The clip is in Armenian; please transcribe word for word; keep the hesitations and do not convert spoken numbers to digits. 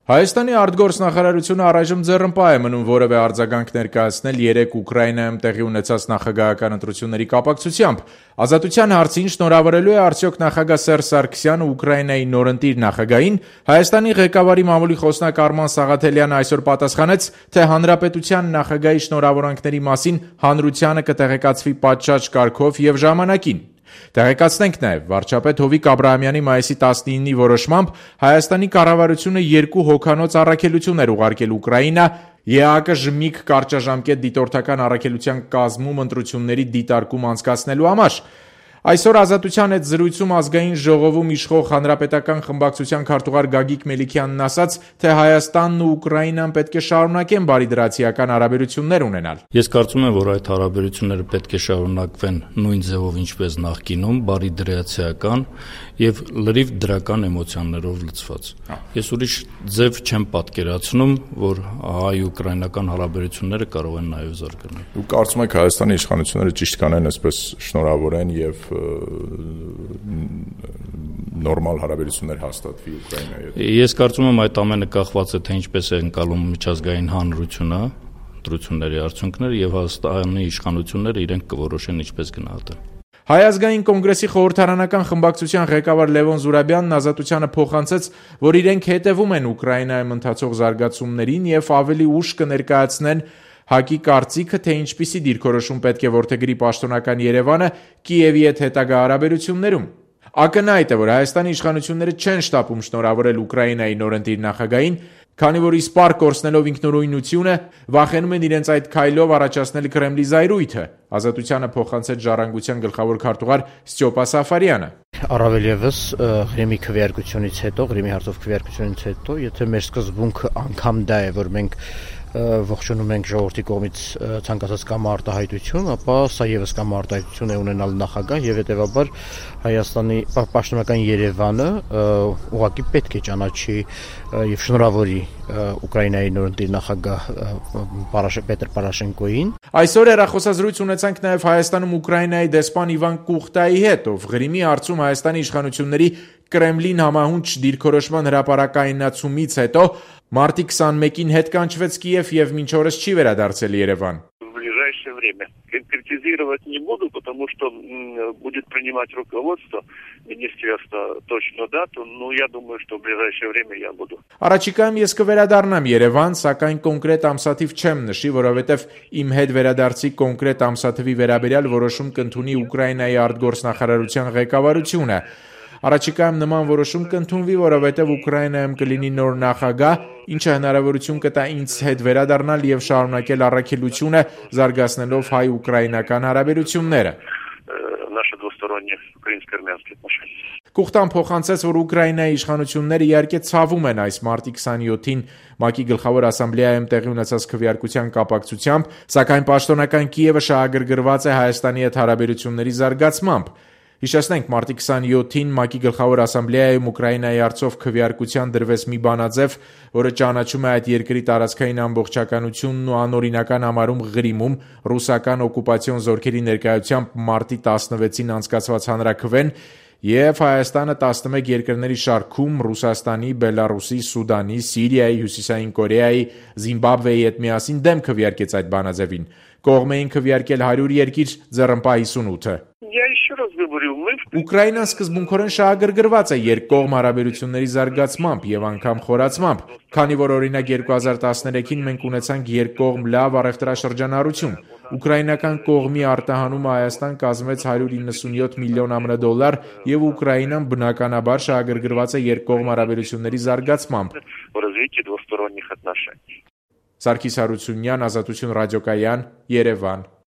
Հայաստանի արտգործնախարարությունը առայժմ ձեռնպահ է մնում որևէ արձագանք ներկայացնել երեկ Ուկրաինայում տեղի ունեցած նախագահական ընտրությունների կապակցությամբ։ Ազատության հարցին շնորհավորելու է արդյոք նախագահ Սերժ Սարգսյանը Ուկրաինայի նորընտիր նախագահին։ Հայաստանի ղեկավարի մամուլի խոսնակ Արման Սաղաթելյանը այսօր պատասխանեց, թե հանրապետության նախագահի շնորհավորանքների մասին հանրությանը կտեղեկացվի պատշաճ կարգով եւ ժամանակին։ Տեղեկացնենք նաև, վարչապետ Հովիկ Աբրահամյանի մայիսի տասնինի որոշմամբ Հայաստանի կառավարությունը երկու հոգանոց առաքելություն էր ուղարկել Ուկրաինա ԵԱԿ ԺՄԻԿ կարճաժամկետ դիտորդական առաքելության կազմում ընտրությունների դիտարկում անցկացնելու համար։ Այսօր Ազատության հետ զրույցում Ազգային ժողովում իշխող հանրապետական խմբակցության քարտուղար Գագիկ Մելիքյանն ասաց, թե Հայաստանն ու Ուկրաինան պետք է շարունակեն բարիդրացիական հարաբերություններ ունենալ։ Ես կարծում եմ, որ այդ հարաբերությունները պետք է շարունակվեն նույն ձևով, ինչպես նախկինում, բարիդրացիական եւ լրիվ դրական էմոցիաներով լցված։ Ես ուրիշ ձև չեմ պատկերացնում, որ հայ-ուկրաինական հարաբերությունները կարող են նաեւ զարգանալ։ Դուք կարծում եք Հայաստանի իշխանությունները ճիշտ կանեն այսպես շնորհավորեն եւ նորմալ հարաբերություններ հաստատվի Ուկրաինայի հետ։ Ես կարծում եմ այդ ամենը կախված է թե ինչպես է ընկալում միջազգային հանրությունը ընտրությունների արդյունքները եւ Հայաստանի իշխանությունները իրենք կորոշեն ինչպես գնահատեն։ Հայ ազգային կոնգրեսի խորհրդարանական խմբակցության ղեկավար Լևոն Զուրաբյանն Ազատությանը փոխանցեց, որ իրենք հետևում են Ուկրաինայում ընթացող զարգացումներին եւ ավելի ուշ կներկայացնեն ՀԱԿ-ի կարծիքը, թե ինչպիսի դիրքորոշում պետք է որդեգրի պաշտոնական Երևանը Կիևի հետ հետագա հարաբերություններում։ Ակնհայտ է, որ Հայաստանի իշխանությունները չեն շտապում շնորհավորել Ուկրաինայի նորընտիր նախագահին, քանի որ իսպառ կորցնելով ինքնուրույնությունը վախենում են իրենց այդ քայլով առաջացնել Կրեմլի զայրույթը։ Ազատությանը փոխանցեց Ժառանգության գլխավոր քարտուղար Ստյոպա Սաֆարյանը։ Առավել եւս Ղրիմի քվեարկությունից հետո, Ղրիմի հարցով քվեարկությունից հետո, եթե մեր սկզբունքը անգամ դա է, որ մենք ողջունում ենք ժողովրդի կողմից ցանկացած կամ արտահայտություն, ապա սա եւս կամ արտահայտություն է ունենալ նախագահ եւ հետեւաբար Հայաստանի պաշտոնական Երևանը ուղղակի պետք է ճանաչի եւ շնորհավորի Ուկրաինայի նորընտիր նախագահ Պետր Պորոշենկոին։ Այսօր հեռախոսազրույց ունեցանք նաև Հայաստանում Ուկրաինայի դեսպան Իվան Կուխտայի հետ, ով Ղրիմի հարցում Հայաստանի իշխանությունների Կրեմլին համահունչ դիրքորոշման հրապարակայնացումից հետո մարտի քսանմեկին հետ կանչվեց Կիև եւ մինչ օրս չի վերադարձել Երևան։ Конкретизировать не буду, потому что будет принимать руководство министерства точно дату, но я думаю, что в ближайшее время я буду. Առաջիկայում ես կվերադառնամ Երևան, սակայն կոնկրետ ամսաթիվ չեմ նշի, որովհետև իմ հետ վերադարձի կոնկրետ ամսաթվի վերաբերյալ որոշում կընդունի Ուկրաինայի արտգործնախարարության ղեկավարությունը։ Առաջիկայում նման որոշում կընդունվի, որովհետև Ուկրաինայում կլինի նոր նախագահ, ինչը հնարավորություն կտա ինձ հետ վերադառնալ եւ շարունակել առաքելությունը, զարգացնելով հայ-ուկրաինական հարաբերությունները։ Կուխտան փոխանցեց, որ Ուկրաինայի իշխանությունները իհարկե ցավում են այս մարտի քսանյոթին ՄԱԿ-ի գլխավոր ասամբլեայում տեղի ունեցած քվեարկության կապակցությամբ, սակայն պաշտոնական Կիևը շահագրգռված է Հայաստանի հետ հարաբերությունների զարգացմամբ։ Հիշեցնենք, մարտի քսանյոթին ՄԱԿ-ի գլխավոր ասամբլեայում Ուկրաինայի հարցով քվեարկության դրվեց մի բանաձև, որը ճանաչում է այդ երկրի տարածքային ամբողջականությունն ու անօրինական համարում Ղրիմում ռուսական օկուպացիոն զորքերի ներկայությամբ մարտի տասնվեցին անցկացված հանրաքվեն եւ Հայաստանը տասնմեկ երկրների շարքում Ռուսաստանի, Բելարուսի, Սուդանի, Սիրիայի, Հյուսիսային Կորեայի, Զիմբաբվեի հետ միասին դեմ քվեարկեց այդ բանաձևին։ Կողմ էին քվեարկել հարյուր երկիր, ձեռնպահ հիսունութը։ Ուկրաինան սկզբունքորեն շահագրգռված է երկկողմ հարաբերությունների զարգացմամբ եւ անգամ խորացմամբ, քանի որ օրինակ երկու հազար տասներեքին մենք ունեցանք երկկողմ լավ առևտրաշրջանառություն։ Ուկրաինական կողմի արտահանումը Հայաստան կազմեց հարյուր իննսունյոթ միլիոն ԱՄՆ դոլար եւ Ուկրաինան բնականաբար շահագրգռված է երկկողմ հարաբերությունների զարգացմամբ։ Սարգիս Հարությունյան, Ազատություն ռադիոկայան, Երևան։